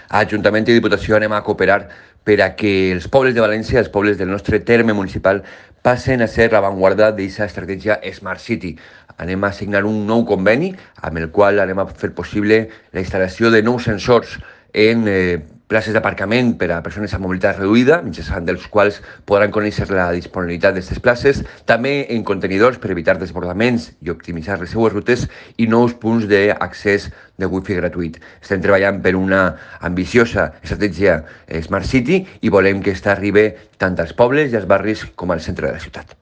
Ajuntament i Diputació anem a cooperar per a que els pobles de València, els pobles del nostre terme municipal, passen a ser l'avantguarda d'aquesta estratègia Smart City. Anem a signar un nou conveni amb el qual anem a fer possible la instal·lació de nous sensors en places d'aparcament per a persones amb mobilitat reduïda, mitjançant dels quals podran conèixer la disponibilitat d'aquestes places, també en contenidors per evitar desbordaments i optimitzar les seues rutes i nous punts d'accés de wifi gratuït. Estem treballant per una ambiciosa estratègia Smart City i volem que aquesta arribi tant als pobles i als barris com al centre de la ciutat.